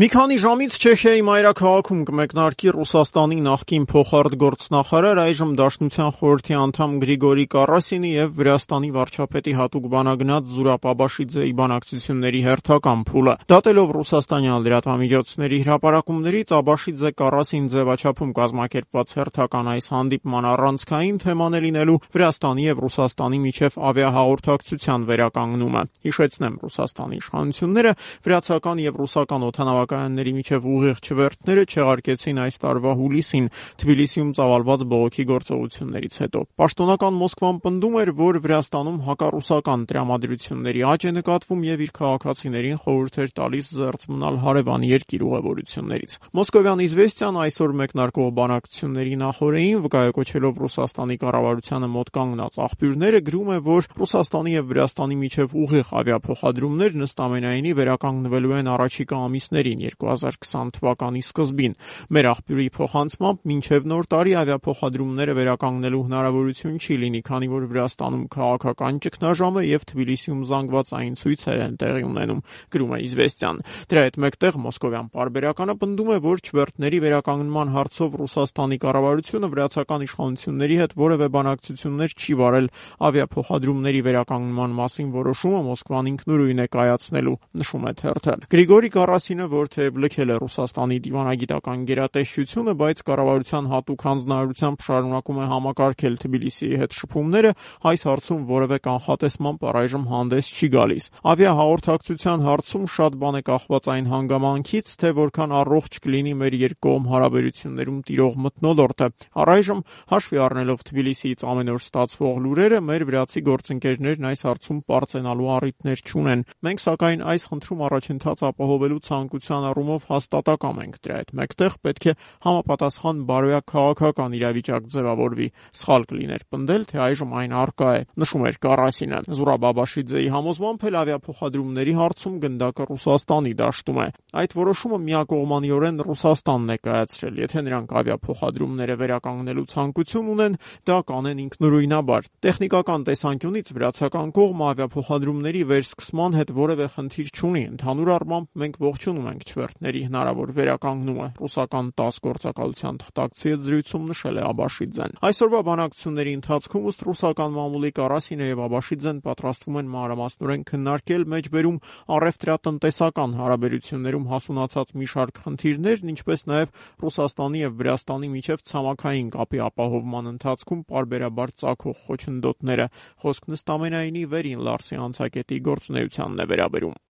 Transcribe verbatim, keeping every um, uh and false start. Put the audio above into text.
Մի քանի ժամից Չեխիայի մայրաքաղաքում կմեկնարկի Ռուսաստանի նախկին փոխարտգործնախարար, այժմ Դաշնության խորհրդի անդամ Գրիգորի Կարասինի և Վրաստանի վարչապետի հատուկ բանագնաց Զուրաբ Աբաշիձեի բանակցությունների հերթական փուլը։ Դատելով ռուսաստանյան լրատվամիջոցների հրապարակումներից, Աբաշիձե Կարասին ձևաչափում կազմակերպված հերթական այս հանդիպման առանցքային թեման է լինելու Վրաստանի և Ռուսաստանի միջև ավիահաղորդակցության վերականգնումը։ Հիշեցնեմ, Ռուսաստանի իշխանությունները վրացական և ռուսական օդանավակայանների միջև ուղիղ չվերթները չեղարկեցին այս տարվա հուլիսին Թբիլիսիում ծավալված բողոքի գործողություններից հետո։ Պաշտոնական Մոսկվան պնդում էր, որ Վրաստանում հակառուսական տրամադրությունների աճ է նկատվում և իր քաղաքացիներին խորհուրդ էր տալիս զերծ մնալ հարևան երկիր ուղևորություններից։ Մոսկովյան «Իզվեստիան» այսօր մեկնարկող բանակցությունների նախօրեին, վկայակոչելով Ռուսաստանի կառավարությանը մոտ կանգնած աղբյուրները, գրում է, որ Ռուսաստանի և Վրաստանի միջև ուղիղ ավիափոխադրումներ նստամենայինի վերականգնվելու են առաջիկա ամիսներին երկու հազար քսան թվականի սկզբին։ Մեր աղբյուրի փոխանցմամբ, մինչև նոր տարի ավիափոխադրումները վերականգնելու հնարավորություն չի լինի, քանի որ Վրաստանում քաղաքական ճգնաժամ է և Թբիլիսիում զանգվածային ցույցեր են տեղի ունենում, գրում է «Իզվեստիան»։ Դրա հետ մեկտեղ մոսկովյան պարբերականը պնդում է, որ չվերթների վերականգնման հարցով Ռուսաստանի կառավարությունը վրացական իշխանությունների հետ որևէ բանակցություններ չի վարել, ավիափոխադրումների վերականգնման մասին որոշումը Մոսկվան ինքնուրույն է կայացնելու, նշում է թերթը։ Գրիգորի Կարասինը, որ թեև լքել է Ռուսաստանի դիվանագիտական գերատեսչությունը, բայց կառավարության հատուկ հանձնարարությամբ շարունակում է համակարգել Թբիլիսիի հետ շփումները, այս հարցում որևէ կանխատեսմամբ առայժմ հանդես չի գալիս։ Ավիահաղորդակցության հարցում շատ բան է կախված այն հանգամանքից, թե որքան առողջ կլինի մեր երկկողմ հարաբերություններում տիրող մթնոլորտը։ Առայժմ, հաշվի առնելով Թբիլիսիից ամեն օր ստացվող լուրերը, մեր վրացի գործընկերներն այս հարցում պարծենալու առիթներ չունեն։ Մենք, սակայն, այս խնդրում առաջընթաց ապահովելու ցանկության առումով հաստատակամ ենք։ Դրա հետ մեկտեղ պետք է համապատասխան բարոյակ քաղաքական իրավիճակ ձևավորվի։ Սխալ կլիներ պնդել, թե այժմ այն առկա է, նշում էր Կարասինը։ Զուրաբ Աբաշիձեի համոզմամբ էլ ավիափոխադրումների հարցում գնդակը Ռուսաստանի դաշտում է։ Այդ որոշումը միակողմանիորեն Ռուսաստանն է կայացրել։ Եթե նրանք ավիափոխադրումները վերականգնելու ցանկություն ունեն, դա կանեն ինքնուրույնաբար։ Տեխնիկական տեսանկյունից վրացական կողմը ավիափոխադրումների վերսկսման հետ որևէ խնդիր չունի։ Ընդհանուր առմամբ, մենք ողջունում ենք չվերթների հնարավոր վերականգնումը, ռուսական տաս գործակալության թղթակցի հետ զրույցում նշել է Աբաշիձեն։ Այսօրվա բանակցությունների ընթացքում, ըստ ռուսական մամուլի, Կարասինը և Աբաշիձեն պատրաստվում են մանրամասնորեն քննարկել մեջբերում առևտրատնտեսական հարաբերություններում հասունացած մի շարք խնդիրներն, ինչպես նաև Ռուսաստանի և Վրաստանի միջև ցամաքային կապի ապահովման ընթացքում պարբերաբար ծագող խոչընդոտները։ Խոսքն ըստ ամենայնի Վերին Լարսի անցակետի գործունեությանն է վերաբերում։